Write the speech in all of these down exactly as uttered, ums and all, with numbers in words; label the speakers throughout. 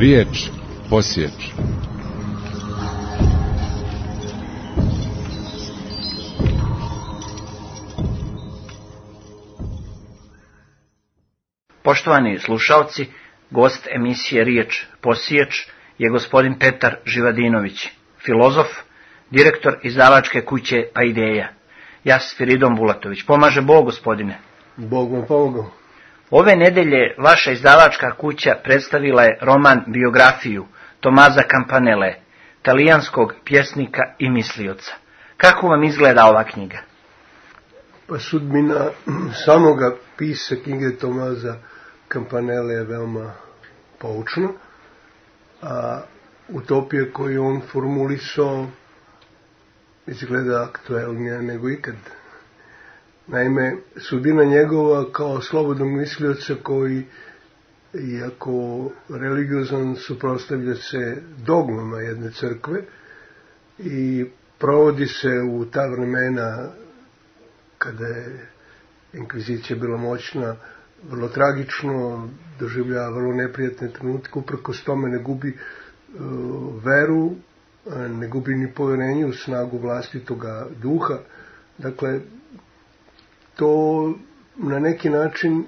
Speaker 1: Riječ posječ.
Speaker 2: Poštovani slušalci, gost emisije Riječ posječ je gospodin Petar Živadinović, filozof, direktor izdavačke kuće Paideia. Ja sam Spiridon Bulatović. Pomaže Bog, gospodine.
Speaker 3: Bog vam pomogao.
Speaker 2: Ove nedelje vaša izdavačka kuća predstavila je roman biografiju Tomasa Campanelle, talijanskog pjesnika i mislioca. Kako vam izgleda ova knjiga?
Speaker 3: Pa sudbina samoga pisa knjige Tomasa Campanelle je veoma poučna, a utopija koju on formulisao izgleda aktuelnija nego ikad. Naime, sudbina njegova kao slobodnog mislioca koji, iako religiozan, suprotstavlja se dogmama jedne crkve i provodi se u ta vremena kada je inkvizicija bila moćna, vrlo tragično, doživljava vrlo neprijatne trenutke, uprkos tome ne gubi uh, veru, ne gubi ni povjerenje u snagu vlastitoga duha. Dakle, to na neki način,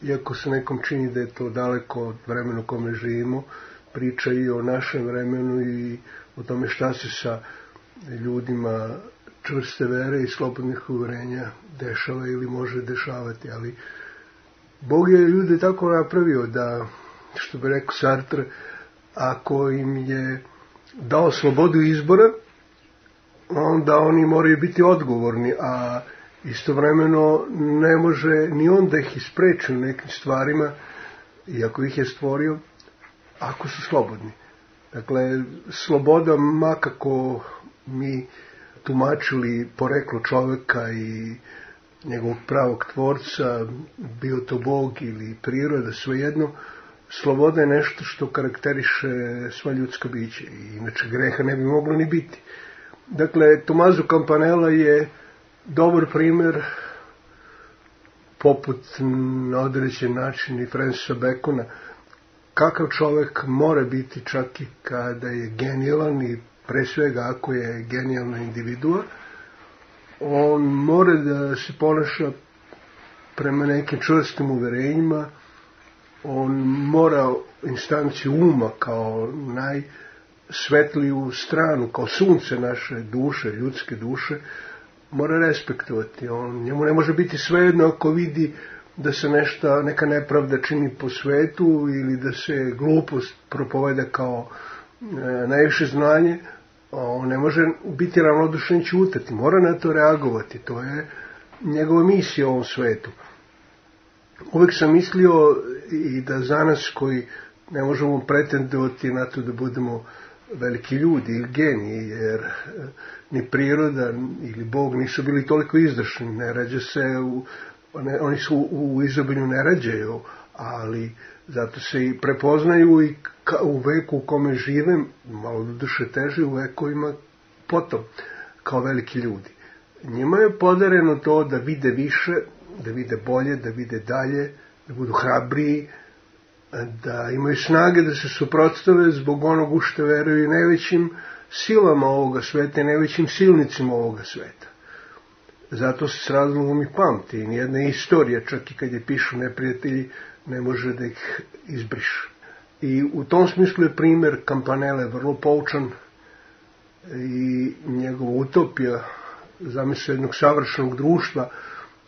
Speaker 3: iako se nekom čini da je to daleko od vremena u kome živimo, priča i o našem vremenu i o tome šta se sa ljudima čvrste vere i slobodnih uvjerenja dešava ili može dešavati. Ali Bog je ljude tako napravio da, što bi rekao Sartre, ako im je dao slobodu izbora, onda oni moraju biti odgovorni, a istovremeno ne može ni on da ih ispreči u nekim stvarima, iako ih je stvorio, ako su slobodni. Dakle, sloboda, makako mi tumačili poreklo čovjeka i njegovog pravog tvorca, bio to Bog ili priroda, svejedno, sloboda je nešto što karakteriše sva ljudska bića i inače greha ne bi moglo ni biti. Dakle, Tomaso Campanella je dobar primjer, poput na određen način i Francisa Bacona, kakav čovjek mora biti čak i kada je genijalan i pre svega ako je genijalna individua. On mora da se ponaša prema nekim čvrstim uverenjima, on mora instanciju uma kao najsvetliju stranu, kao sunce naše duše, ljudske duše, mora respektovati. On, njemu ne može biti svejedno ako vidi da se nešto, neka nepravda čini po svetu ili da se glupost propoveda kao e, najviše znanje. On ne može biti ravnodušan i ćutati, mora na to reagovati. To je njegova misija u ovom svetu. Uvijek sam mislio i da za nas koji ne možemo pretendovati na to da budemo veliki ljudi ili geniji, jer ni priroda ili Bog nisu bili toliko izdašni, ne rađa se, u, ne, oni su u izobilju ne rađaju, ali zato se i prepoznaju i ka, u veku u kome živem, malo do duše teže, u vekovima potom, kao veliki ljudi. Njima je podareno to da vide više, da vide bolje, da vide dalje, da budu hrabriji, da imaju snage da se suprotstave zbog onog u što veruju najvećim silama ovoga sveta i najvećim silnicima ovoga sveta. Zato se s razlogom i pamti. Nijedna istorija, čak i kad je pišu neprijatelji, ne može da ih izbriše. I u tom smislu je primjer Campanelle vrlo poučan i njegova utopija, zamisao jednog savršenog društva,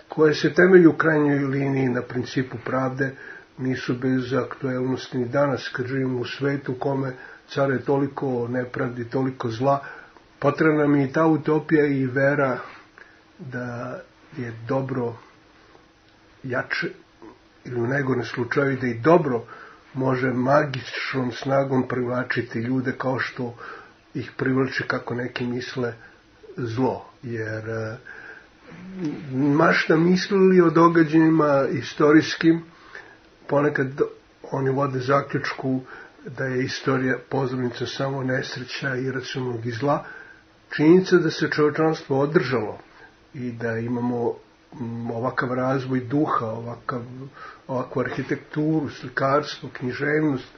Speaker 3: koje se temelji u krajnjoj liniji na principu pravde, nisu bez aktuelnosti ni danas, kad živimo u svetu u kome care toliko nepravdi, toliko zla. Potrebna nam je i ta utopija i vera da je dobro jače, ili u najgorem slučaju da i dobro može magičnom snagom privlačiti ljude kao što ih privlači, kako neki misle, zlo. Jer mašta mislili o događajima istorijskim, ponekad oni vode zaključku da je istorija pozornica samo nesreća i iracionalnog i zla. Činjenica da se čovječanstvo održalo i da imamo ovakav razvoj duha, ovakav, ovakvu arhitekturu, slikarstvo, književnost,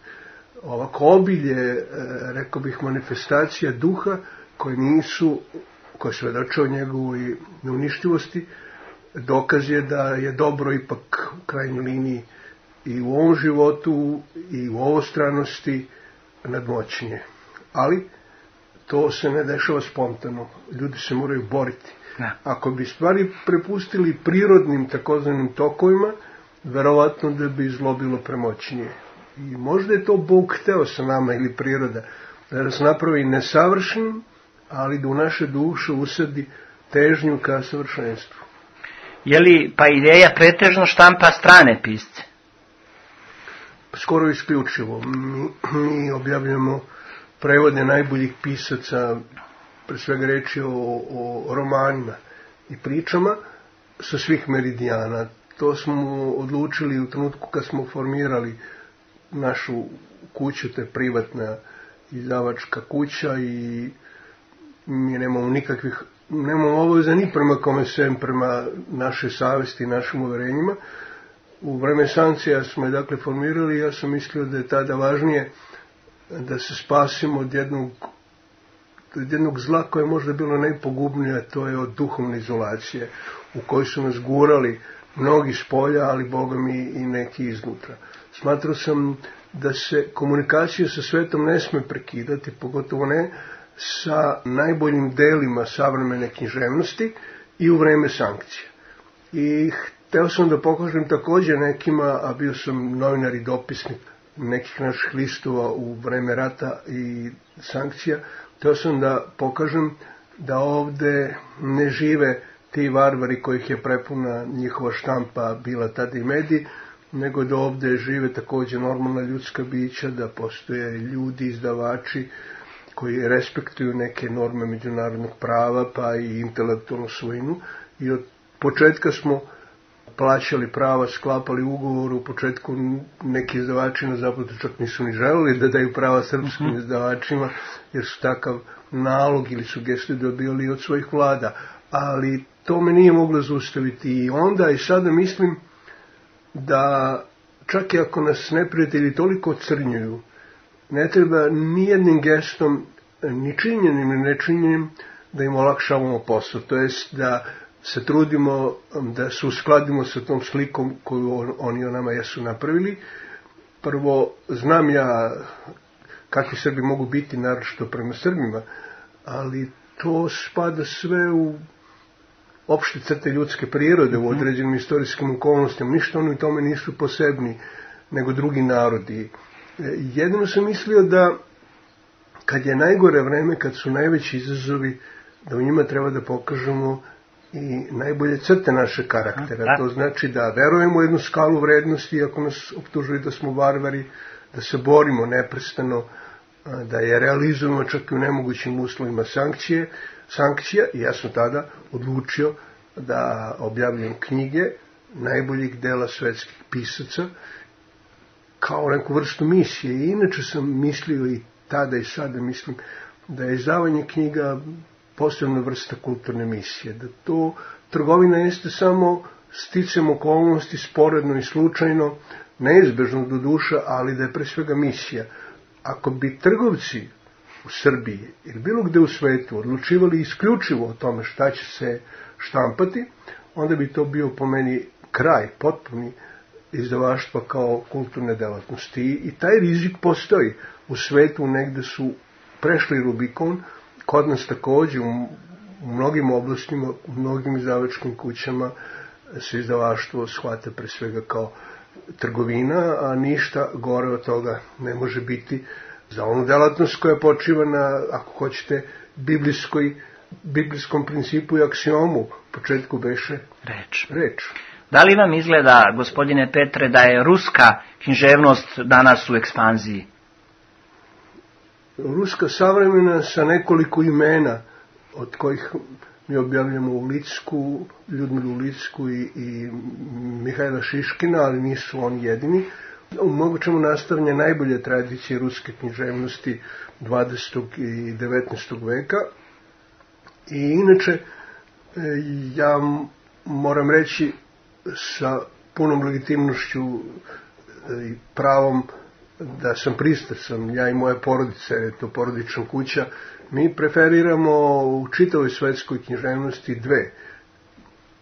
Speaker 3: ovako obilje, rekao bih, manifestacija duha koje nisu, koje svedoče o njegovoj neuništivosti, dokaz je da je dobro ipak u krajnjoj liniji i u ovom životu i u ovostranosti nadmoćnije. Ali to se ne dešava spontano. Ljudi se moraju boriti.
Speaker 2: Da.
Speaker 3: Ako bi stvari prepustili prirodnim takozvanim tokovima, verovatno da bi zlo bilo premoćnije. I možda je to Bog hteo sa nama ili priroda, da nas napravi nesavršenim, ali da u naše duše usadi težnju ka savršenstvu.
Speaker 2: Je li pa ideja pretežno štampa strane pisce?
Speaker 3: Skoro isključivo. Mi, mi objavljamo prevode najboljih pisaca, pre svega reći o, o romanima i pričama sa svih meridijana. To smo odlučili u trenutku kad smo formirali našu kuću, to je privatna izdavačka kuća i mi nemamo nikakvih, nemamo obaveza ni prema kome sem, prema našoj savesti i našim uverenjima. U vreme sankcija smo je dakle formirali i ja sam mislio da je tada važnije da se spasimo od jednog, od jednog zla koje je možda bilo najpogubnije, a to je od duhovne izolacije u kojoj su nas gurali mnogi s polja, ali Boga mi i neki iznutra. Smatrao sam da se komunikacija sa svetom ne sme prekidati, pogotovo ne sa najboljim delima savremene književnosti i u vreme sankcija. I hteo sam da pokažem također nekima, a bio sam novinar i dopisnik nekih naših listova u vreme rata i sankcija, hteo sam da pokažem da ovde ne žive ti varvari kojih je prepuna njihova štampa bila tada i mediji, nego da ovde žive također normalna ljudska bića, da postoje ljudi, izdavači koji respektuju neke norme međunarodnog prava, pa i intelektualnu svojinu. I od početka smo plaćali prava, sklapali ugovor. U početku neki izdavači na zapadu čak nisu ni želeli da daju prava srpskim mm-hmm. izdavačima, jer su takav nalog ili sugestiju dobili od svojih vlada. Ali to me nije moglo zaustaviti. I onda i sada mislim da čak i ako nas neprijatelji toliko crnjuju, ne treba nijednim gestom, ni činjenim ni nečinjenim, da im olakšavamo posao. To jest da se trudimo da se uskladimo sa tom slikom koju oni o nama jesu napravili. Prvo, znam ja kakvi Srbi mogu biti, naročito prema Srbima, ali to spada sve u opšte crte ljudske prirode, u određenim istorijskim okolnostima. Ništa oni u tome nisu posebni nego drugi narodi. Jedino sam mislio da kad je najgore vreme, kad su najveći izazovi, da u njima treba da pokažemo i najbolje crte naše karaktera. To znači da verujemo u jednu skalu vrednosti, iako nas optužuju da smo varvari, da se borimo neprestano, da je realizujemo čak i u nemogućim uslovima sankcije, sankcija. I ja sam tada odlučio da objavljam knjige najboljih dela svetskih pisaca kao neku vrstu misije. I inače sam mislio i tada i sada mislim da je izdavanje knjiga posebna vrsta kulturne misije. Da to trgovina jeste samo sticam okolnosti, sporedno i slučajno, neizbežno do duša, ali da je pre svega misija. Ako bi trgovci u Srbiji ili bilo gde u svetu odlučivali isključivo o tome šta će se štampati, onda bi to bio po meni kraj potpuni izdavaštva kao kulturne delatnosti. I taj rizik postoji. U svetu negde su prešli Rubikon, kod nas također u, u mnogim oblastima, u mnogim izdavačkim kućama se izdavaštvo shvata pre svega kao trgovina, a ništa gore od toga ne može biti za onu delatnost koja počiva na, ako hoćete, biblijskoj, biblijskom principu i aksiomu. U početku beše
Speaker 2: reč.
Speaker 3: reč.
Speaker 2: Da li vam izgleda, gospodine Petre, da je ruska književnost danas u ekspanziji?
Speaker 3: Ruska savremena sa nekoliko imena, od kojih mi objavljamo u Licku, Ljudmilu Licku i, i Mihajla Šiškina, ali nisu oni jedini. Mnogo čemu nastavlja najbolje tradicije ruske književnosti dvadesetog i devetnaestog veka. I inače, ja moram reći sa punom legitimnošću i pravom da sam pristrasan, ja i moja porodica, je to porodična kuća, mi preferiramo u čitavoj svetskoj književnosti dve,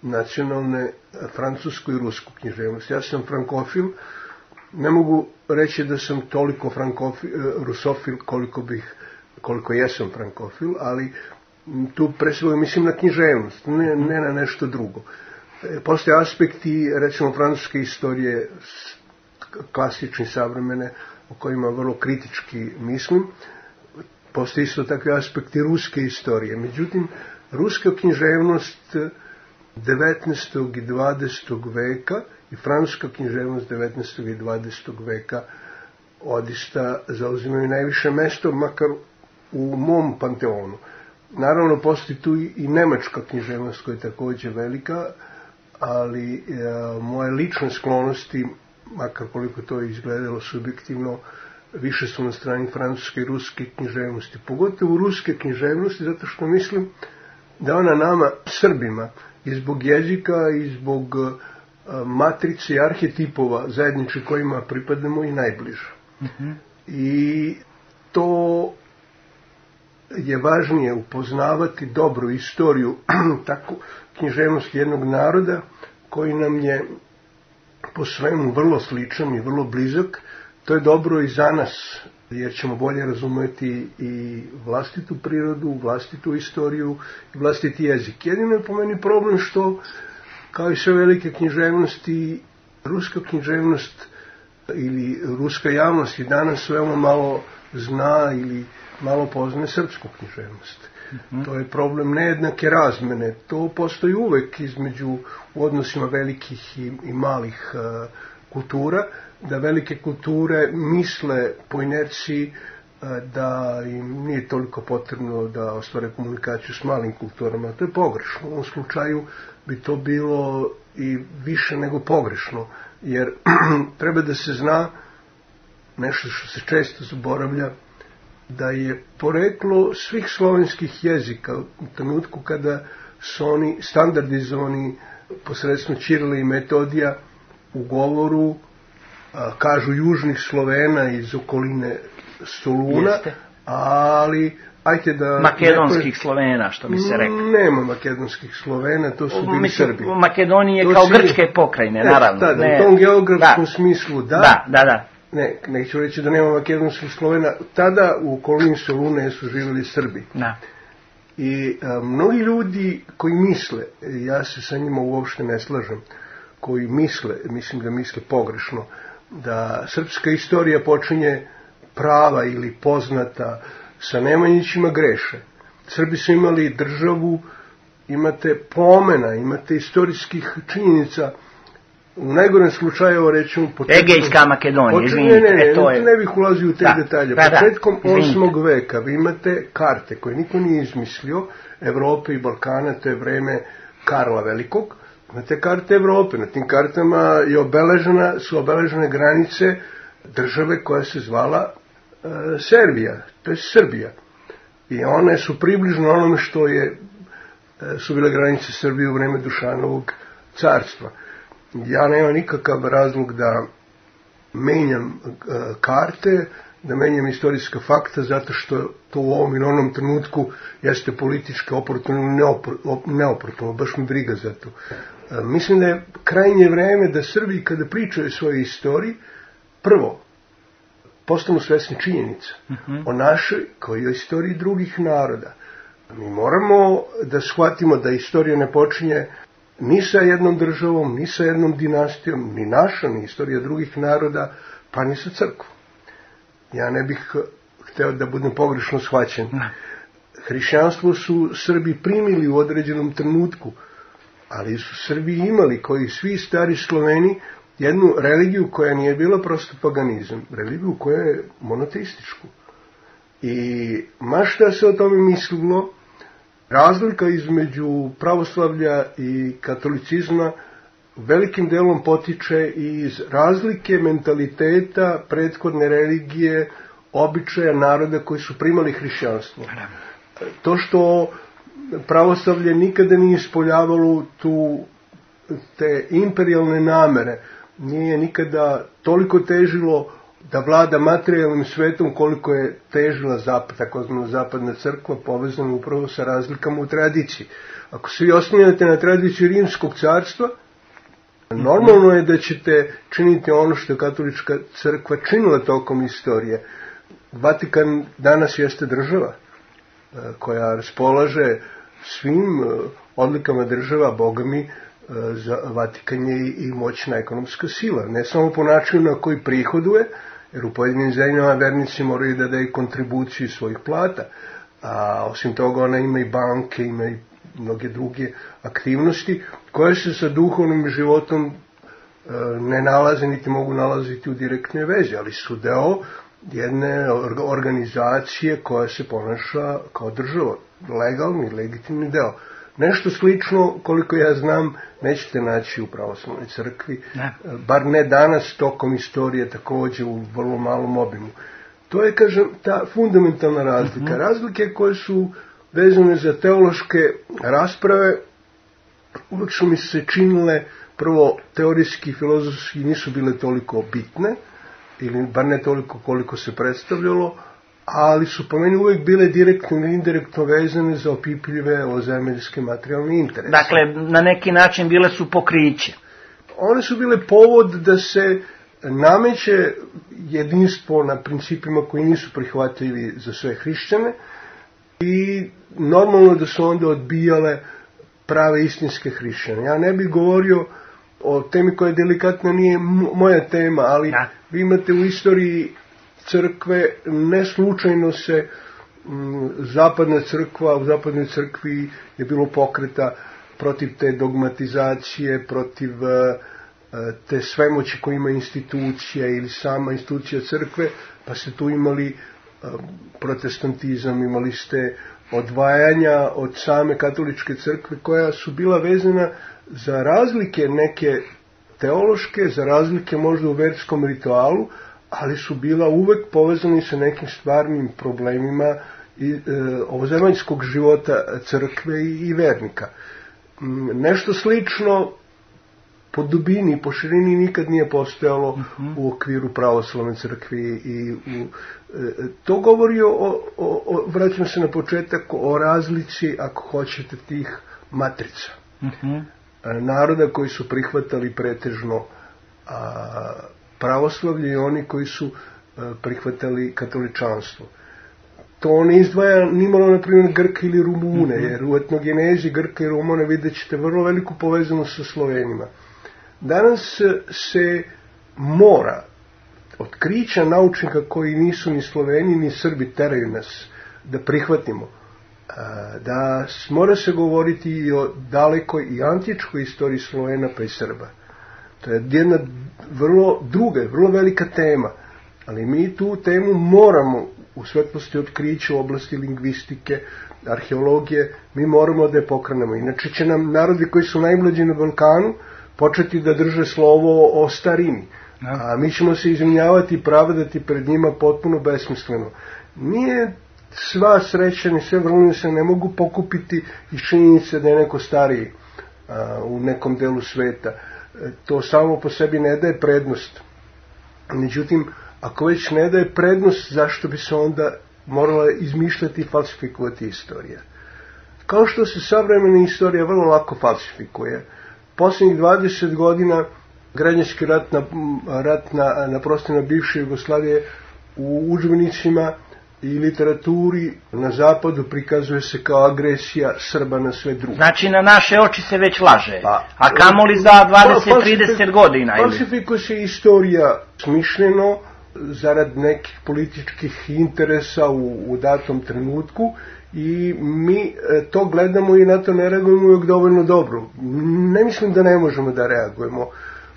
Speaker 3: nacionalne, francusku i rusku književnost. Ja sam frankofil, ne mogu reći da sam toliko frankofil, rusofil koliko bih, koliko jesam frankofil, ali tu pre svega mislim na književnost, ne, ne na nešto drugo. Postoje aspekti, recimo, francuske istorije, klasični, savremene, o kojima vrlo kritički mislim. Postoje isto takvi aspekti ruske istorije. Međutim, ruska književnost devetnaestog i dvadesetog veka i francuska književnost devetnaestog i dvadesetog veka odista zauzimaju najviše mesto, makar u mom panteonu. Naravno, postoji tu i nemačka književnost koja je također velika, ali e, moje lične sklonosti, makar koliko to izgledalo subjektivno, više su na strani francuske i ruske književnosti. Pogotovo ruske književnosti, zato što mislim da ona nama, Srbima, i zbog jezika i zbog e, matrice i arhetipova zajednički kojima pripadamo i najbliža. Mm-hmm. I to je važnije upoznavati dobru istoriju, tako književnost jednog naroda koji nam je po svemu vrlo sličan i vrlo blizak. To je dobro i za nas, jer ćemo bolje razumjeti i vlastitu prirodu, vlastitu istoriju i vlastiti jezik. Jedino je po meni problem što, kao i sve velike književnosti, ruska književnost ili ruska javnost i danas veoma malo zna ili malo poznaje srpsku književnost. Mm-hmm. To je problem nejednake razmene. To postoji uvek između u odnosima velikih i, i malih uh, kultura, da velike kulture misle po inerciji uh, da im nije toliko potrebno da ostvare komunikaciju s malim kulturama. To je pogrešno. U ovom slučaju bi to bilo i više nego pogrešno, jer treba da se zna nešto što se često zaboravlja, da je poreklo svih slovenskih jezika u trenutku kada su oni standardizovani posredstvom Ćirila i Metodija u govoru, a, kažu južnih Slovena iz okoline Soluna, jeste. Ali ajte da...
Speaker 2: Makedonskih neko... Slovena, što bi se rekao.
Speaker 3: Nema makedonskih Slovena, to su bili
Speaker 2: Mislim,
Speaker 3: Srbi.
Speaker 2: U Makedoniji je kao si... grčke pokrajine,
Speaker 3: ne,
Speaker 2: naravno.
Speaker 3: Tada,
Speaker 2: ne.
Speaker 3: U tom geografskom
Speaker 2: da.
Speaker 3: smislu, da.
Speaker 2: Da, da, da.
Speaker 3: Ne, neću reći da nema makedonskih Slovena. Tada u okolini Solune su živjeli Srbi.
Speaker 2: Da.
Speaker 3: I a, mnogi ljudi koji misle, ja se sa njima uopšte ne slažem, koji misle, mislim da misle pogrešno, da srpska istorija počinje prava ili poznata sa Nemanjićima, greše. Srbi su imali državu, imate pomena, imate istorijskih činjenica. U najgorem slučaju rećemo početkom...
Speaker 2: Egejska Makedonija, izvinite.
Speaker 3: Ne, ne, ne,
Speaker 2: e, to je...
Speaker 3: ne bih ulazio u te
Speaker 2: da,
Speaker 3: detalje.
Speaker 2: da,
Speaker 3: Početkom
Speaker 2: da,
Speaker 3: osmog veka vi imate karte koje niko nije izmislio, Evrope i Balkana, to je vreme Karla Velikog. Imate karte Evrope, na tim kartama je obeležena, su obeležene granice države koja se zvala e, Serbija, to je Srbija. I one su približno onome što je, e, su bile granice Srbije u vreme Dušanovog carstva. Ja nemam nikakav razlog da menjam e, karte, da menjam istorijska fakta, zato što to u ovom i onom trenutku jeste politički oportuno ili neoportuno, baš mi briga za to. E, mislim da je krajnje vreme da Srbi, kada pričaju o svojoj istoriji, prvo, postanu svesni činjenica mm-hmm. o našoj, kao i o istoriji drugih naroda. Mi moramo da shvatimo da istorija ne počinje ni sa jednom državom, ni sa jednom dinastijom, ni naša, ni istorija drugih naroda, pa ni sa crkvom. Ja ne bih hteo da budem pogrešno shvaćen. Hrišćanstvo su Srbi primili u određenom trenutku, ali su Srbi imali, koji svi stari Sloveni, jednu religiju koja nije bila prosto paganizam, religiju koja je monoteističku. I ma šta se o tome mislilo, razlika između pravoslavlja i katolicizma velikim delom potiče iz razlike mentaliteta prethodne religije, običaja naroda koji su primali hrišćanstvo. To što pravoslavlje nikada nije ispoljavalo tu te imperijalne namere, nije nikada toliko težilo da vlada materijalnim svetom koliko je težila zapad, takozvana zapadna crkva, povezana upravo sa razlikama u tradiciji. Ako se vi oslanjate na tradiciju Rimskog carstva, normalno je da ćete činiti ono što je katolička crkva činila tokom istorije. Vatikan danas jeste država koja raspolaže svim odlikama država, Boga mi, za Vatikan je i moćna ekonomska sila. Ne samo po načinu na koji prihoduje, jer u pojedinim zemljama vernici moraju da daju kontribuciju svojih plata, a osim toga ona ima i banke, ima i mnoge druge aktivnosti koje se sa duhovnim životom ne nalaze niti mogu nalaziti u direktnoj vezi, ali su deo jedne organizacije koja se ponaša kao država, legalni, legitimni deo. Nešto slično, koliko ja znam, nećete naći u pravoslavnoj crkvi, ne. Bar ne danas, tokom istorije, također u vrlo malom obimu. To je, kažem, ta fundamentalna razlika. Mm-hmm. Razlike koje su vezane za teološke rasprave, uvijek su mi se činile, prvo, teorijski i filozofski nisu bile toliko bitne, ili bar ne toliko koliko se predstavljalo, ali su po meni uvijek bile direktno ili indirektno vezane za opipljive ozemeljske materijalne interese.
Speaker 2: Dakle, na neki način bile su pokriće.
Speaker 3: One su bile povod da se nameće jedinstvo na principima koji nisu prihvatljivi za sve hrišćane i normalno da su onda odbijale prave istinske hrišćane. Ja ne bih govorio o temi koja je delikatna, nije moja tema, ali da. Vi imate u istoriji crkve, ne slučajno se m, zapadna crkva, u zapadnoj crkvi je bilo pokreta protiv te dogmatizacije, protiv uh, te svemoći koja ima institucija ili sama institucija crkve, pa ste tu imali uh, protestantizam, imali ste odvajanja od same katoličke crkve koja su bila vezana za razlike neke teološke, za razlike možda u verskom ritualu, ali su bila uvek povezani sa nekim stvarnim problemima i, e, ovozemaljskog života crkve i, i vernika. Nešto slično po dubini i po širini nikad nije postojalo uh-huh. u okviru pravoslavne crkve i u, e, to govori o, o, o, vraćam se na početak, o razlici, ako hoćete, tih matrica. Uh-huh. Naroda koji su prihvatali pretežno a, pravoslavlje i oni koji su a, prihvatali katoličanstvo. To ne izdvaja nimalo, na primjer, Grke ili Rumune, mm-hmm. jer u etnogenezi Grka i Rumune vidjet ćete vrlo veliku povezanost sa Slovenima. Danas se mora otkrića naučnika koji nisu ni Sloveni ni Srbi teraju nas da prihvatimo, da mora se govoriti i o dalekoj i antičkoj istoriji Slovena pa i Srba. To je jedna vrlo druga, vrlo velika tema, ali mi tu temu moramo u svetlosti otkrića u oblasti lingvistike, arheologije, mi moramo da je pokrenemo. Inače će nam narodi koji su najmlađi na Balkanu početi da drže slovo o starini, a mi ćemo se izvinjavati i pravdati pred njima potpuno besmisleno. Nije sva sreća ni sve vrline se ne mogu pokupiti iz činjenice da je neko stariji a, u nekom delu sveta. E, to samo po sebi ne daje prednost. Međutim, ako već ne daje prednost, zašto bi se onda morala izmišljati i falsifikovati istorija? Kao što se savremena istorija vrlo lako falsifikuje. Posljednjih dvadeset godina građanski rat na, rat na, na prostorima bivše Jugoslavije u udžbenicima i literaturi na zapadu prikazuje se kao agresija Srba na sve druge.
Speaker 2: Znači na naše oči se već laže, pa, a kamoli za dvadeset do trideset godina?
Speaker 3: Falsifikuje se istorija smišljeno zarad nekih političkih interesa u, u datom trenutku i mi to gledamo i na to ne reagujemo uvijek dovoljno dobro. Ne mislim da ne možemo da reagujemo.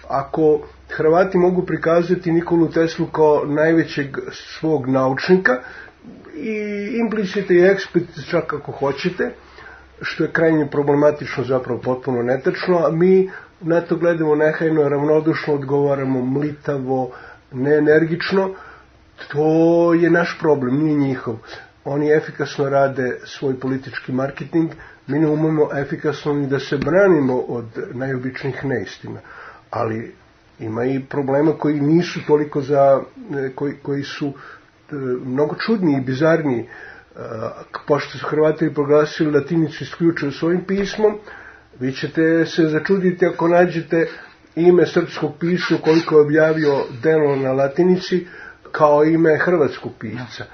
Speaker 3: Ako Hrvati mogu prikazati Nikolu Teslu kao najvećeg svog naučnika, i implicite i eksplicite čak ako hoćete, što je krajnje problematično, zapravo potpuno netačno, a mi na to gledamo nehajno, ravnodušno, odgovaramo mlitavo, neenergično. To je naš problem, nije njihov. Oni efikasno rade svoj politički marketing, mi ne umemo efikasno ni da se branimo od najobičnijih neistina. Ali Ima i problema koji nisu toliko za, koji, koji su mnogo čudniji i bizarniji. Pošto su Hrvati proglasili latinicu isključivo svojim pismom, vi ćete se začuditi ako nađete ime srpskog pisca koliko je objavio delo na latinici kao ime hrvatskog pisca.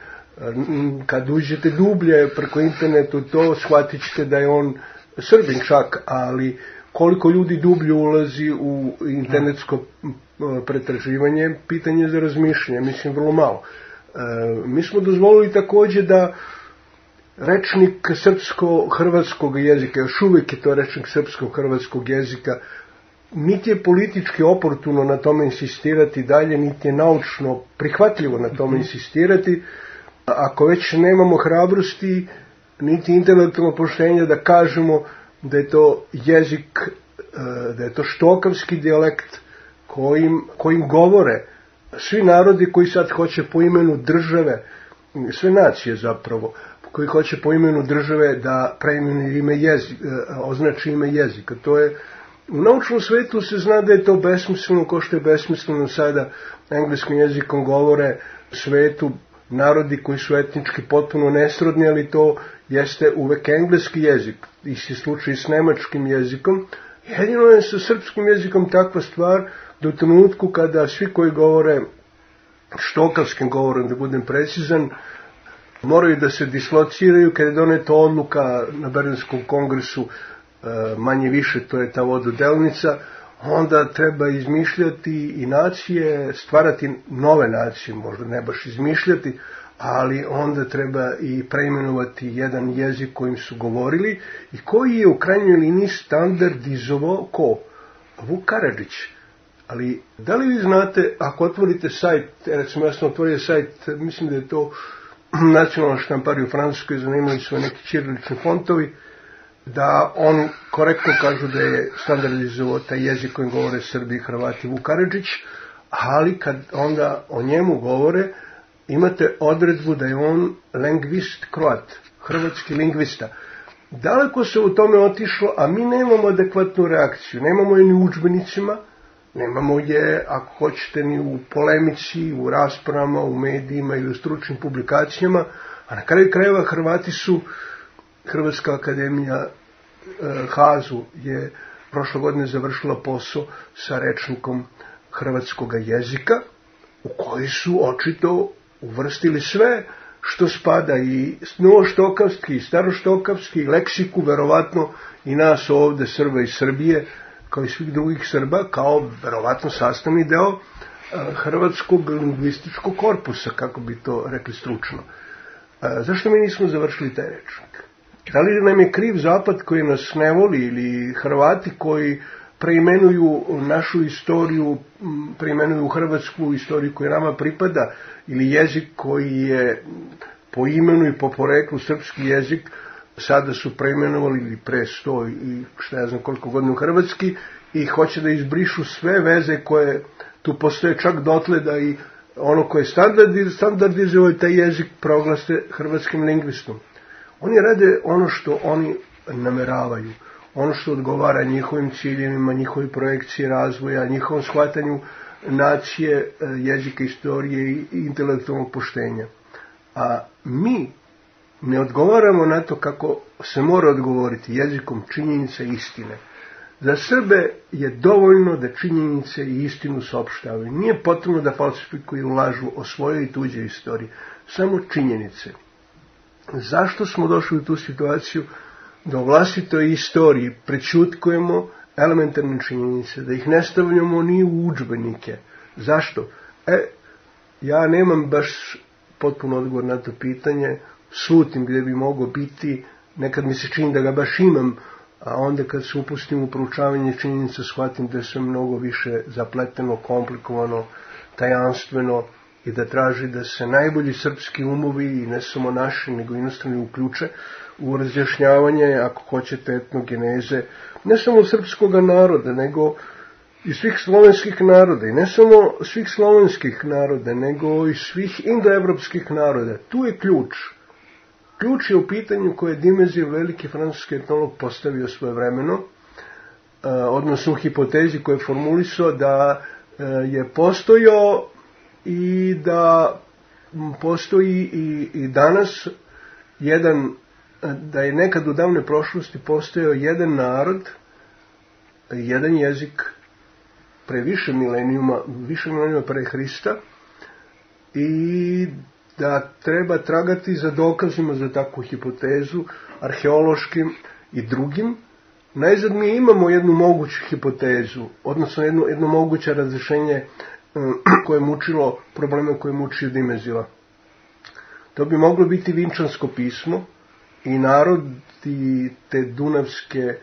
Speaker 3: Kad uđete dublje preko internetu to shvatit ćete da je on Srbin čak, ali koliko ljudi dublje ulazi u internetsko pretraživanje, pitanje za razmišljanje, mislim vrlo malo. E, mi smo dozvolili također da rečnik srpsko-hrvatskog jezika, još uvijek je to rečnik srpsko-hrvatskog jezika, niti je politički oportuno na tome insistirati dalje, niti je naučno prihvatljivo na tome insistirati, ako već nemamo hrabrosti, niti intelektualno poštenja da kažemo da je to jezik, da je to štokavski dijalekt kojim, kojim govore svi narodi koji sad hoće po imenu države, sve nacije zapravo, koji hoće po imenu države da preimenuju ime jezik, označi ime jezika. To je, u naučnom svetu se zna da je to besmisleno, ko što je besmisleno sada engleskim jezikom govore svetu narodi koji su etnički potpuno nesrodni, ali to jeste uvek engleski jezik. Isti slučaj s nemačkim jezikom. Jedino je sa srpskim jezikom takva stvar da u trenutku kada svi koji govore štokavskim govorom, da budem precizan, moraju da se dislociraju kada je doneta odluka na Berlinskom kongresu, manje više to je ta vododelnica, onda treba izmišljati i nacije, stvarati nove nacije, možda ne baš izmišljati, ali onda treba i preimenovati jedan jezik kojim su govorili i koji je u krajnjoj liniji standardizovao ko? Vuk Karadžić. Ali da li vi znate, ako otvorite sajt, recimo ja sam otvorio sajt, mislim da je to nacionalna štamparija u Francuskoj, zanimali su neki ćirilični fontovi, da oni korektno kažu da je standardizovao taj jezik kojim govore Srbi i Hrvati Vuk Karadžić, ali kad onda o njemu govore, imate odredbu da je on lingvist Kroat, hrvatski lingvista. Daleko se u tome otišlo, a mi nemamo adekvatnu reakciju. Nemamo je ni u udžbenicima, nemamo je, ako hoćete, ni u polemici, u raspravama, u medijima ili u stručnim publikacijama, a na kraju krajeva Hrvati su, Hrvatska akademija Hazu je prošle godine završila posao sa rečnikom hrvatskog jezika, u koji su očito uvrstili sve što spada i novoštokavski, i staroštokavski, leksiku, verovatno i nas ovde Srba iz Srbije, kao i svih drugih Srba, kao verovatno sastavni deo hrvatskog lingvističkog korpusa, kako bi to rekli stručno. Zašto mi nismo završili taj rečnik? Da li nam je kriv Zapad koji nas ne voli ili Hrvati koji preimenuju našu istoriju, preimenuju hrvatsku istoriju koja nama pripada, ili jezik koji je po imenu i po poreklu srpski jezik, sada su preimenovali ili pre sto i šta ja znam koliko godina u hrvatski i hoće da izbrišu sve veze koje tu postoje, čak dotle da i ono koje je standardizovao taj jezik proglase hrvatskim lingvistom. Oni rade ono što oni nameravaju, ono što odgovara njihovim ciljevima, njihovoj projekciji razvoja, njihovom shvatanju nacije, jezika, istorije i intelektualnog poštenja. A mi ne odgovaramo na to kako se mora odgovoriti jezikom činjenica i istine. Za Srbe je dovoljno da činjenice i istinu saopštavaju. Nije potrebno da falsifikuju i lažu o svojoj i tuđoj istoriji. Samo činjenice. Zašto smo došli u tu situaciju da u vlastitoj istoriji prećutkujemo elementarne činjenice, da ih ne stavljamo ni u udžbenike? Zašto? E, ja nemam baš potpuno odgovor na to pitanje, slutim gdje bi mogao biti, nekad mi se čini da ga baš imam, a onda kad se upustim u proučavanje činjenica shvatim da je sve mnogo više zapleteno, komplikovano, tajanstveno i da traži da se najbolji srpski umovi, i ne samo naši, nego inostrani, uključe u razjašnjavanje, ako hoćete, etnogeneze, ne samo srpskog naroda, nego i svih slovenskih naroda, i ne samo svih slovenskih naroda, nego i svih indoevropskih naroda. Tu je ključ. Ključ je u pitanju koje je Dimezio, veliki francuski etnolog, postavio svojevremeno, odnosno u hipotezi koje je formulisao da je postojao i da postoji i, i danas jedan, da je nekad u davnoj prošlosti postojao jedan narod, jedan jezik pre više milenijuma, više milenijuma pre Hrista, i da treba tragati za dokazima za takvu hipotezu, arheološkim i drugim. Najzad mi imamo jednu moguću hipotezu, odnosno jedno, jedno moguće razrešenje koje je mučilo probleme koje je mučio Dimezila. To bi moglo biti Vinčansko pismo i narodi te Dunavske,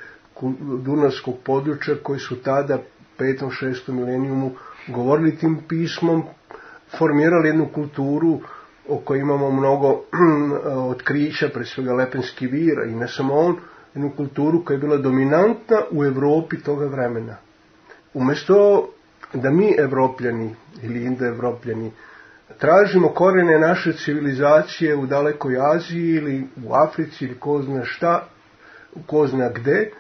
Speaker 3: Dunavskog područja koji su tada petom, šestom milenijumu govorili tim pismom, formirali jednu kulturu o kojoj imamo mnogo otkrića, pre svega Lepenski vir, i ne samo on, jednu kulturu koja je bila dominantna u Evropi toga vremena. Umjesto da mi Evropljani ili Indoevropljani tražimo korene naše civilizacije u dalekoj Aziji ili u Africi ili ko zna šta, ko zna gde,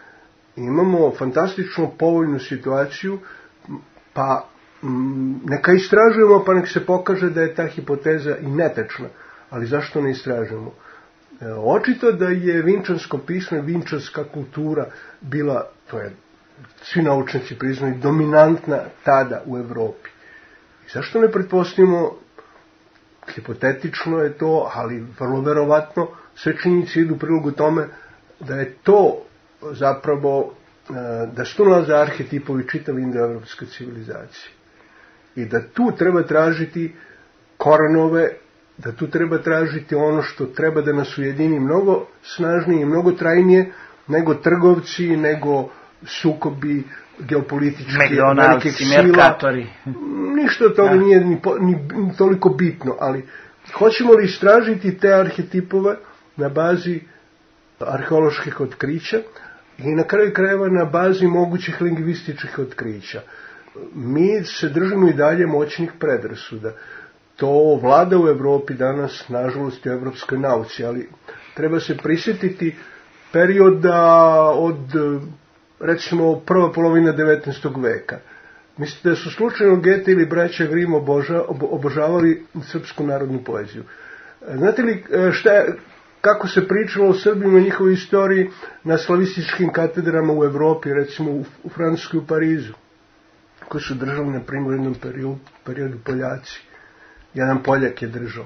Speaker 3: imamo fantastično povoljnu situaciju, pa neka istražujemo, pa nek se pokaže da je ta hipoteza i netečna. Ali zašto ne istražujemo? Očito da je Vinčansko pismo, vinčanska kultura bila, to je svi naučnici priznaju, dominantna tada u Evropi. I zašto ne pretpostavimo, hipotetično je to, ali vrlo verovatno, sve činjenice idu u prilogu tome da je to zapravo, da su to nalaze arhetipovi čitave indoevropske civilizacije. I da tu treba tražiti korenove, da tu treba tražiti ono što treba da nas ujedini mnogo snažnije i mnogo trajnije nego trgovci, nego sukobi geopolitički,
Speaker 2: regionalci, merkatori.
Speaker 3: Ništa od toga nije ni, ni, ni toliko bitno, ali hoćemo li istražiti te arhetipove na bazi arheoloških otkrića i na kraju krajeva na bazi mogućih lingvističkih otkrića. Mi se držimo i dalje moćnih predrasuda. To vlada u Evropi danas, nažalost, u evropskoj nauci, ali treba se prisjetiti perioda od, recimo, prva polovina devetnaestog veka. Mislite da su slučajno Gete ili braća Grim oboža, obožavali srpsku narodnu poeziju? Znate li šta je, kako se pričalo o Srbima i njihovoj istoriji na slavističkim katedrama u Evropi, recimo u, u Francuskoj, u Parizu, koji su držali na primjer u jednom periodu, periodu Poljaci. Jedan Poljak je držao.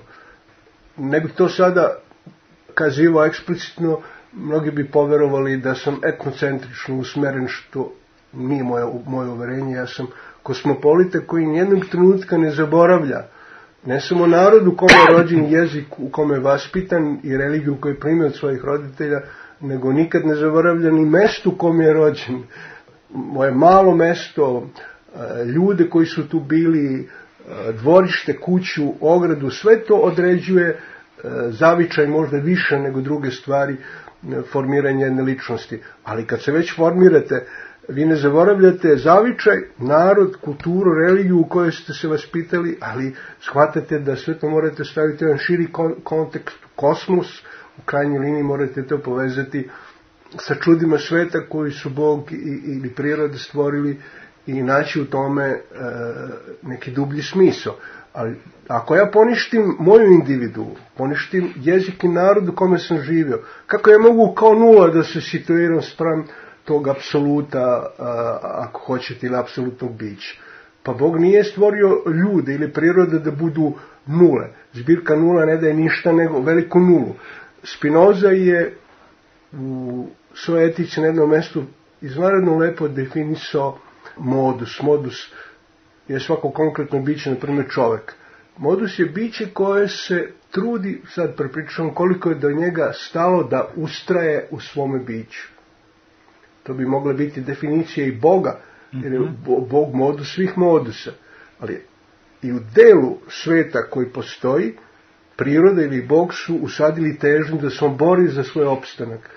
Speaker 3: Ne bih to sada kazivao eksplicitno, mnogi bi poverovali da sam etnocentrično usmeren, što nije moje, moje uverenje. Ja sam kosmopolita koji nijednog trenutka ne zaboravlja ne samo narod u kome je rođen, jezik u kome je vaspitan i religiju koju prime od svojih roditelja, nego nikad ne zaboravlja ni mesto u kome je rođen. Moje malo mesto, ljude koji su tu bili, dvorište, kuću, ogradu, sve to određuje zavičaj možda više nego druge stvari formiranja jedne ličnosti. Ali kad se već formirate, vi ne zaboravljate zavičaj, narod, kulturu, religiju u kojoj ste se vaspitali, ali shvatate da sve to morate staviti u jedan širi kontekst, kosmos, u krajnjoj liniji morate to povezati sa čudima sveta koji su Bog ili priroda stvorili i naći u tome e, neki dublji smisao. Ali ako ja poništim moju individu, poništim jezik i narod u kome sam živio, kako ja mogu kao nula da se situiram spram tog apsoluta, ako hoćete, ili apsolutnog bića? Pa Bog nije stvorio ljude ili prirode da budu nule. Zbirka nula ne daje ništa nego veliku nulu. Spinoza je u svojoj etici na jednom mjestu izvanredno lepo definisao modus. Modus je svako konkretno biće, na primjer čovjek. Modus je biće koje se trudi, sad prepričam koliko je do njega stalo da ustraje u svome biću. To bi mogla biti definicija i Boga, jer je Bog modus svih modusa. Ali i u delu sveta koji postoji, priroda ili Bog su usadili težnju da se on bori za svoj opstanak.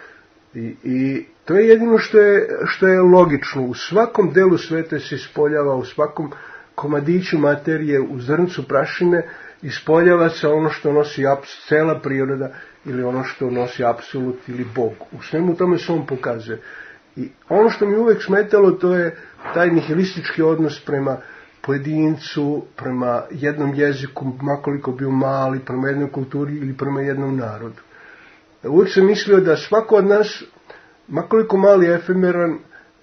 Speaker 3: I, i to je jedino što je, što je logično. U svakom delu sveta se ispoljava, u svakom komadiću materije, u zrncu prašine, ispoljava se ono što nosi aps, cela priroda ili ono što nosi apsolut ili Bog. U svemu tome se on pokazuje. I ono što mi uvek smetalo, to je taj nihilistički odnos prema pojedincu, prema jednom jeziku, makoliko bio mali, prema jednoj kulturi ili prema jednom narodu. Uvijek sam mislio da svako od nas, makoliko mali efemeran,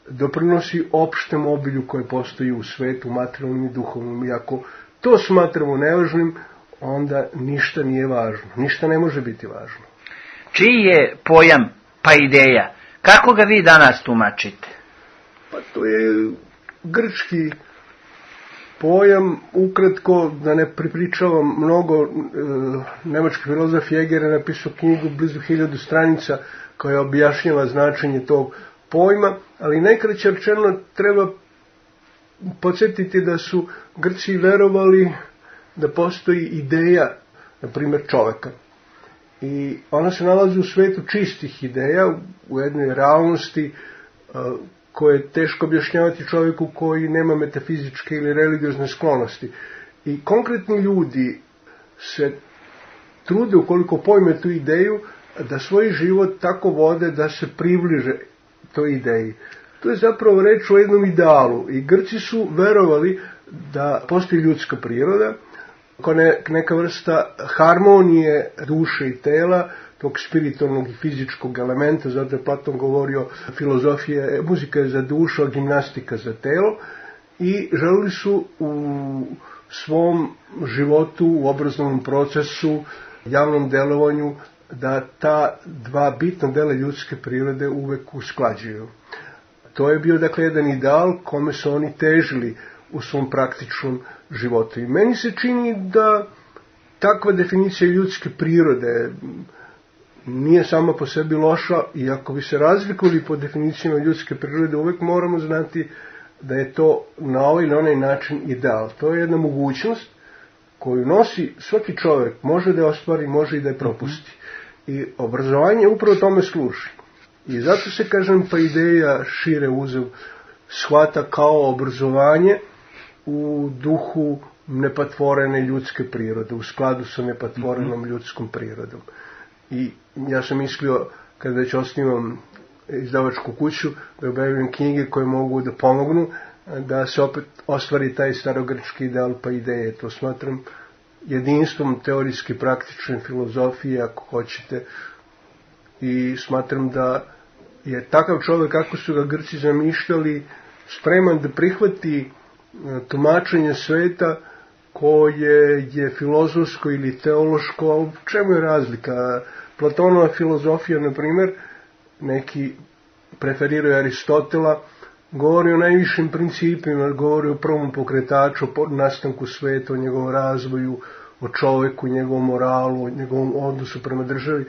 Speaker 3: doprinosi opštem obilju koje postoji u svetu, materijalnom i duhovnom. I ako to smatramo nevažnim, onda ništa nije važno. Ništa ne može biti važno.
Speaker 2: Čiji je pojam paideia? Kako ga vi danas tumačite?
Speaker 3: Pa to je grčki pojam, ukratko, da ne pripričavam mnogo, e, nemački filozof Heger je napisao knjigu blizu hiljadu stranica koja objašnjava značenje tog pojma, ali najkraće rečeno treba podsjetiti da su Grci verovali da postoji ideja, na primjer, čoveka. I ona se nalazi u svetu čistih ideja, u jednoj realnosti koje je teško objašnjavati čovjeku koji nema metafizičke ili religiozne sklonosti. I konkretni ljudi se trude, ukoliko pojme tu ideju, da svoj život tako vode da se približe toj ideji. To je zapravo reč o jednom idealu. I Grci su verovali da postoji ljudska priroda, kao neka vrsta harmonije duše i tela, tog spiritualnog i fizičkog elementa, zato je Platon govorio filozofija, muzika je za dušu, a gimnastika za telo, i želili su u svom životu, u obrazovnom procesu, javnom delovanju, da ta dva bitna dela ljudske prirode uvek usklađuju. To je bio, dakle, jedan ideal kome su oni težili u svom praktičnom životu. I meni se čini da takva definicija ljudske prirode nije sama po sebi loša, i ako bi se razlikovali po definicijama ljudske prirode, uvek moramo znati da je to na ovaj ili onaj način ideal. To je jedna mogućnost koju nosi svaki čovjek, može da je ostvari, može i da je propusti. I obrazovanje upravo tome služi. I zato se, kažem, paideia šire uzev shvata kao obrazovanje u duhu nepatvorene ljudske prirode, u skladu sa nepatvorenom ljudskom prirodom. I ja sam mislio, kad već osnivam izdavačku kuću, da objavim knjige koje mogu da pomognu da se opet ostvari taj starogrčki ideal paideie. To smatram jedinstvom teorijski praktične filozofije, ako hoćete, i smatram da je takav čovjek, kako su ga Grci zamišljali, spreman da prihvati tumačenje sveta koje je filozofsko ili teološko. U čemu je razlika? Platonova filozofija, na primjer, neki preferiraju Aristotela, govori o najvišim principima, govori o prvom pokretaču, o nastanku sveta, o njegovom razvoju, o čovjeku, njegovom moralu, o njegovom odnosu prema državi.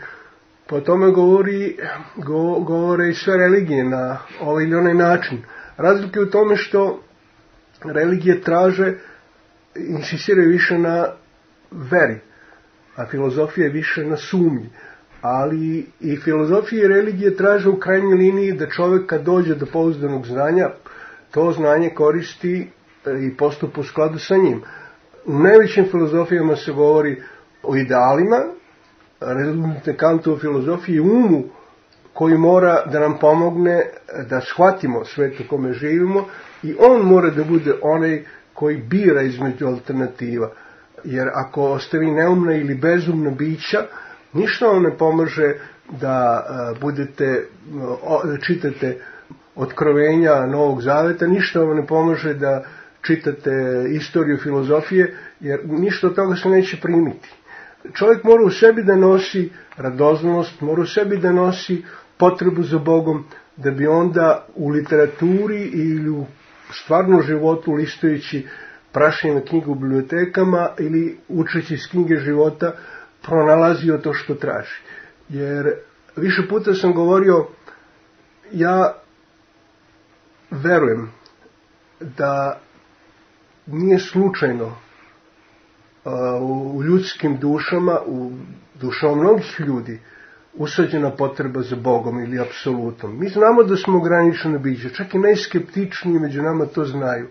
Speaker 3: Po tome govori, go, govore i sve religije na ovaj ili onaj način. Razlika je u tome što religije traže, insistiraju više na veri, a filozofija je više na sumnji. Ali i filozofija i religije traže u krajnjoj liniji da čovjek, kad dođe do pouzdanog znanja, to znanje koristi i postupa u skladu sa njim. U najvećim filozofijama se govori o idealima, rezultate Kantove filozofije, umu koji mora da nam pomogne da shvatimo svet u kome živimo, i on mora da bude onaj koji bira između alternativa. Jer ako ostavi neumna ili bezumna bića, ništa vam ne pomaže da budete, da čitate otkrovenja Novog Zaveta, ništa vam ne pomaže da čitate istoriju filozofije, jer ništa od toga se neće primiti. Čovjek mora u sebi da nosi radoznalost, mora u sebi da nosi potrebu za Bogom, da bi onda u literaturi ili u stvarnom životu, listajući prašine knjige u bibliotekama ili učeći iz knjige života, pronalazio to što traži. Jer više puta sam govorio, ja verujem da nije slučajno uh, u ljudskim dušama, u dušama mnogih ljudi, usađena potreba za Bogom ili apsolutom. Mi znamo da smo ograničeni biće, čak i najskeptičniji među nama to znaju.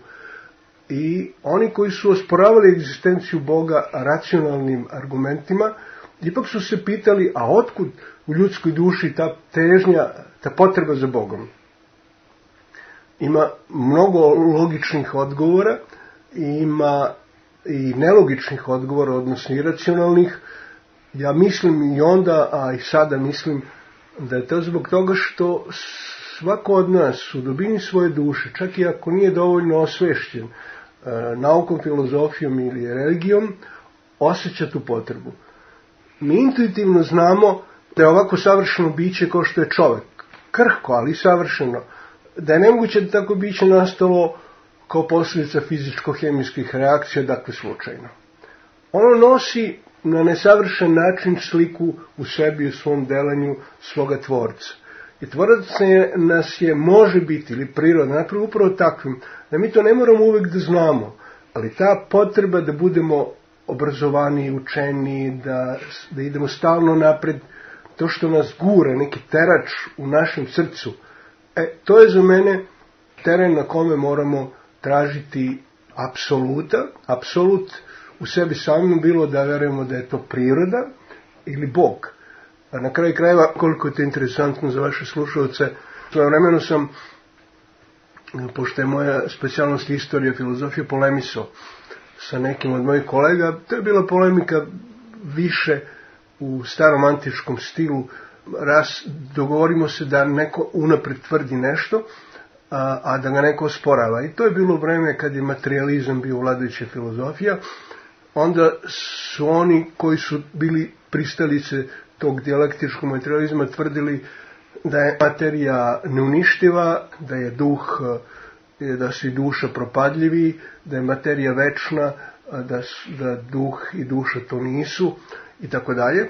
Speaker 3: I oni koji su osporavali egzistenciju Boga racionalnim argumentima, ipak su se pitali, a otkud u ljudskoj duši ta težnja, ta potreba za Bogom? Ima mnogo logičnih odgovora, ima i nelogičnih odgovora, odnosno iracionalnih. Ja mislim i onda, a i sada mislim, da je to zbog toga što svako od nas u dubini svoje duše, čak i ako nije dovoljno osvešćen e, naukom, filozofijom ili religijom, osjeća tu potrebu. Mi intuitivno znamo da je ovako savršeno biće kao što je čovjek, krhko, ali savršeno, da je nemoguće da tako biće nastalo kao posljedica fizičko-hemijskih reakcija, dakle slučajno. Ono nosi na nesavršen način sliku u sebi, u svom delanju svoga tvorca. I tvorac nas je, može biti, ili priroda, napravo upravo takvim, da mi to ne moramo uvijek da znamo, ali ta potreba da budemo obrazovaniji, učeniji, da, da idemo stalno napred, to što nas gura, neki terač u našem srcu, e, to je za mene teren na kome moramo tražiti apsoluta, apsolut u sebi samim, bilo da verujemo da je to priroda ili Bog. A na kraju krajeva, koliko je to interesantno za vaše slušalce, svojevremeno sam, pošto je moja specijalnost istorija, filozofija, polemisao sa nekim od mojih kolega. To je bila polemika više u starom antičkom stilu. Raz, dogovorimo se da neko unapred tvrdi nešto, a, a da ga neko osporava. I to je bilo vreme kad je materijalizam bio vladajuća filozofija. Onda su oni koji su bili pristalice tog dijalektičkog materializma tvrdili da je materija neuništiva, da je duh, da su i duša propadljivi, da je materija večna, da, da duh i duša to nisu i tako dalje.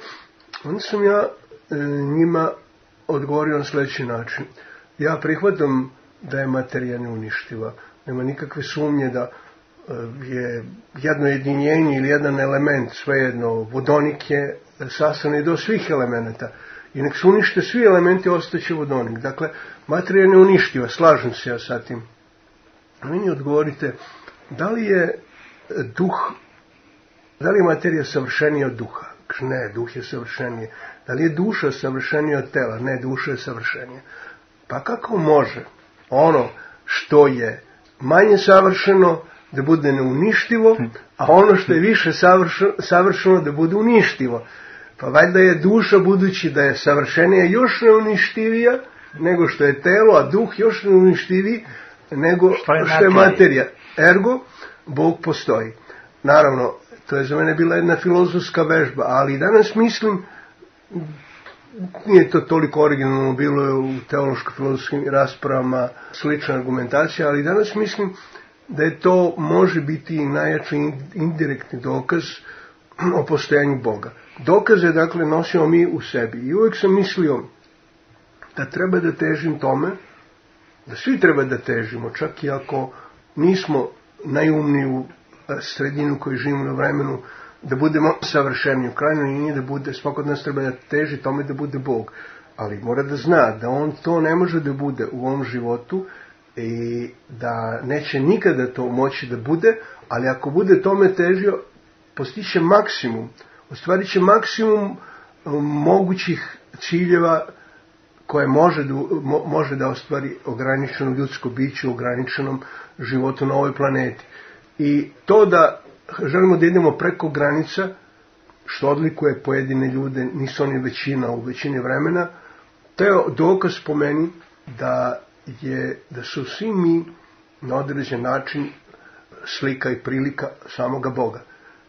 Speaker 3: Onda sam ja e, njima odgovorio na sljedeći način. Ja prihvatam da je materija neuništiva. Nema nikakve sumnje da je jedno jedinjenje ili jedan element, svejedno, vodonik je sastavni do svih elemenata. I nek se unište svi elementi, ostaće vodonik. Dakle, materija je neuništiva, slažem se ja sa tim. A meni odgovorite, da li je duh, da li je materija savršenija od duha? Ne, duh je savršenije. Da li je duša savršenija od tela? Ne, duša je savršenija. Pa kako može ono što je manje savršeno da bude neuništivo, a ono što je više savršeno, savršeno da bude uništivo? Pa valjda je duša, budući da je savršenija, još neuništivija nego što je telo, a duh još neuništiviji nego što je, što je materija. Ergo, Bog postoji. Naravno, to je za mene bila jedna filozofska vežba, ali danas mislim, nije to toliko originalno, bilo je u teološko-filozofskim raspravama slična argumentacija, ali danas mislim da je to može biti i najjači indirektni dokaz o postojanju Boga. Dokaze, dakle, nosimo mi u sebi. I uvijek sam mislio da treba da težim tome, da svi treba da težimo, čak i ako nismo najumniju sredinu koju živimo na vremenu, da budemo savršeni. U krajnjoj liniji da bude, svako od nas treba da teži tome da bude Bog. Ali mora da zna da on to ne može da bude u ovom životu i da neće nikada to moći da bude, ali ako bude tome težio, postiće maksimum, ostvarit će maksimum mogućih ciljeva koje može da, mo, može da ostvari ograničeno ljudsko biće u ograničenom životu na ovoj planeti. I to da želimo da idemo preko granica, što odlikuje pojedine ljude, nisu oni većina u većini vremena, to je dokaz po meni da, je, da su svi mi na određen način slika i prilika samoga Boga.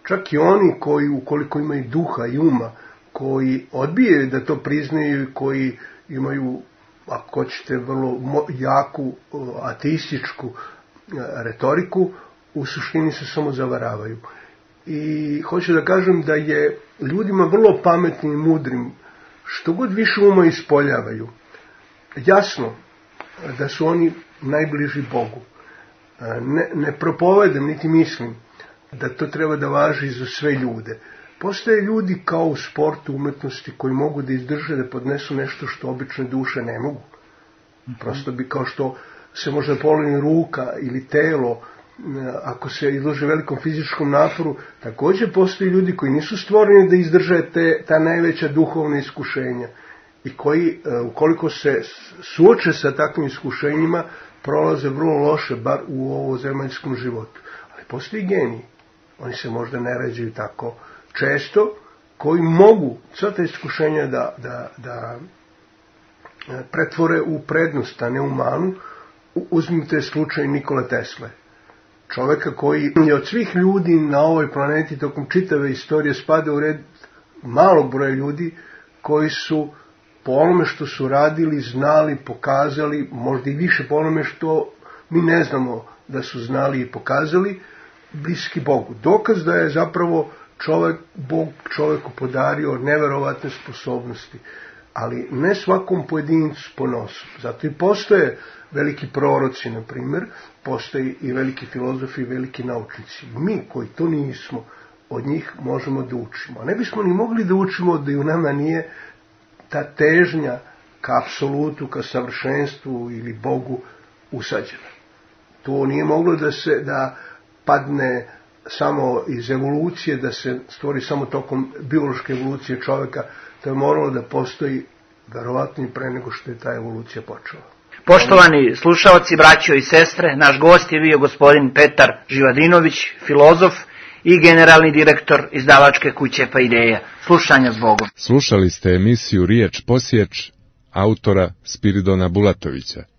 Speaker 3: Čak i oni koji, ukoliko imaju duha i uma, koji odbijaju da to priznaju i koji imaju, ako hoćete, vrlo jaku ateističku retoriku, u suštini se samo zavaravaju. I hoću da kažem da je ljudima vrlo pametnim i mudrim, što god više uma ispoljavaju, jasno da su oni najbliži Bogu. Ne, ne propovedam, niti mislim da to treba da važi za sve ljude. Postoje ljudi kao u sportu, umetnosti, koji mogu da izdrže, da podnesu nešto što obične duše ne mogu. Prosto bi, kao što se možda polomni ruka ili telo, ako se izlože velikom fizičkom naporu, također postoje ljudi koji nisu stvoreni da izdrže te, ta najveća duhovna iskušenja i koji, ukoliko se suoče sa takvim iskušenjima, prolaze vrlo loše, bar u ovozemaljskom životu. Ali ali postoji geniji. Oni se možda ne rađaju tako često, koji mogu sva ta iskušenja da, da, da pretvore u prednost, a ne u manu. Uzmite slučaj Nikole Tesle. Čoveka koji je od svih ljudi na ovoj planeti tokom čitave istorije spada u red malog broja ljudi koji su po onome što su radili, znali, pokazali, možda i više po onome što mi ne znamo da su znali i pokazali, bliski Bogu. Dokaz da je zapravo čovek, Bog čoveku podario neverovatne sposobnosti, ali ne svakom pojedincu ponosu. Zato i postoje veliki proroci, na primjer, postoje i veliki filozofi i veliki naučnici. Mi koji to nismo, od njih možemo da učimo. A ne bismo ni mogli da učimo da i u nama nije ta težnja ka apsolutu, ka savršenstvu ili Bogu usađena. To nije moglo da se da padne samo iz evolucije, da se stvori samo tokom biološke evolucije čovjeka. To je moralo da postoji verovatno i pre nego što je ta evolucija počela.
Speaker 2: Poštovani slušaoci, braćo i sestre, naš gost je bio gospodin Petar Živadinović, filozof i generalni direktor izdavačke kuće Paideia. Slušanja s Bogom.
Speaker 1: Slušali ste emisiju Riječ posječ autora Spiridona Bulatovića.